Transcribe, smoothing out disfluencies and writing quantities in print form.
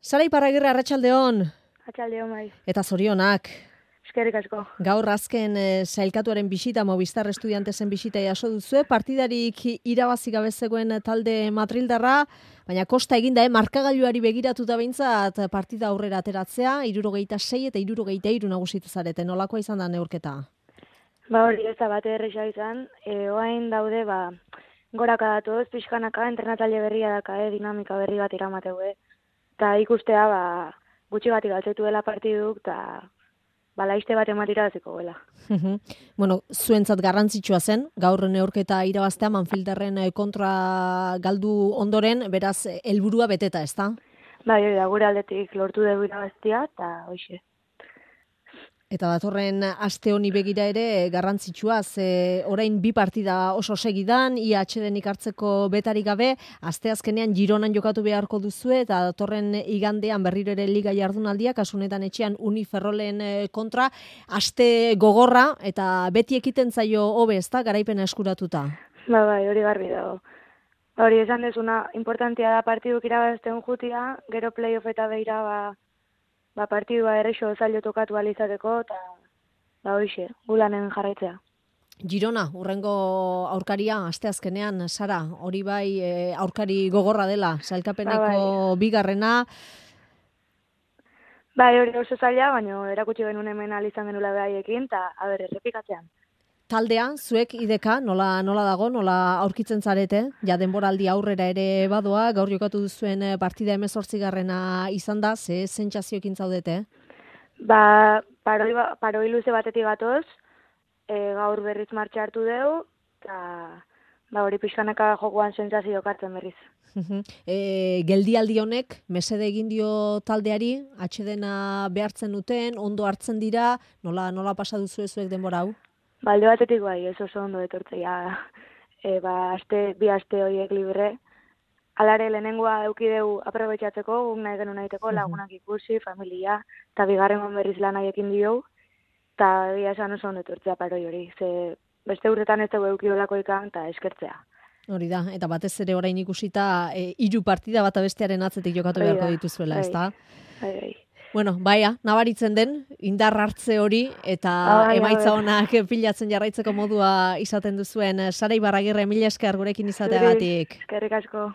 Sara Iparragirre, arratsaldeon. Atxaldeon bai. Eta zorionak. Eskerrik asko. Gaur azken sailkatuaren bisita, Movistar Estudiantesen bisita jaso duzue, partidarik irabazi gabe zegoen talde madrildarra, baina kosta eginda, markagailuari begiratuta behintzat partida aurrera ateratzea, 76 eta 63 nagusitu zarete. Nolakoa izan da neurketa? Hori ez da bate erresa izan, oain daude, goraka datoz, pixkanaka, entrenatzaile berria daka, dinamika berri bat iramateu, eta ikustea, gutxi gati galtzetu dela partiduk, eta laiste bat ematira daziko gela. Bueno, zuentzat garrantzitsua zen, gaur neurketa irabaztea Manfilderren kontra galdu ondoren, beraz, helburua beteta, ezta? Bai, hori da, gure aldetik lortu dugu irabaztia, eta hoxe. Eta datorren aste honi begira ere garrantzitsua, orain 2 partida oso segidan, ia atsedenik hartzeko betarik gabe, asteazkenean Gironan jokatu beharko duzue, eta datorren igandean berriro ere liga jardunaldia, kasunetan etxean Uniferrolen kontra, aste gogorra, eta beti ekiten zaio hobe, ezta, garaipena eskuratuta. Bai, hori garbi dago. Hori esan dezuna, importantia da partiduk irabazten jutia, gero playoff eta beira, partidua errexo zailo tokatu alizateko, eta hoxe, gulanen jarraitzea. Girona, urrengo aurkaria, asteazkenean, Sara, hori bai aurkari gogorra dela, sailkapeneko bigarrena. Bai, hori oso zaila, baina erakutsi genuen hemen alizan genula behaiekin, eta errepikatzean. Taldea, zuek ideka, nola dago, nola aurkitzen zarete, ja denboraldi aurrera ere badoa, gaur jokatu duzuen partida 18garrena izan da, ze sentsazioekin zaudete? Paroi luze batetik gatoz, gaur berriz martxa hartu dugu, eta hori pixkanaka jokoan sentsazio kartzen berriz. Geldialdi honek, mesede egin dio taldeari, atsedena behartzen duten, ondo hartzen dira, nola pasa duzu zuek denbora hau? Alde batetik bai, ez oso ondo etortzea, bi aste horiek libre. Alare lehenengoa eukideu aprobetxatzeko, guk nahi genuen nahiteko, lagunak ikusi, familia, eta bigarren berriz lan haiekin dio, eta bia esan oso ondo etortzea paroi hori. Ze beste urtetan ez dugu eukidolako ikan, eta eskertzea. Hori da, eta batez ere orain ikusita 3 partida bata bestearen atzetik jokatu beharko dituzuela, ezta? Bai. Bueno, nabaritzen den, indar hartze hori, eta emaitza onak pilatzen jarraitzeko modua izaten duzuen. Sara Iparragirre, mila esker gurekin izateagatik. Eskerrik asko.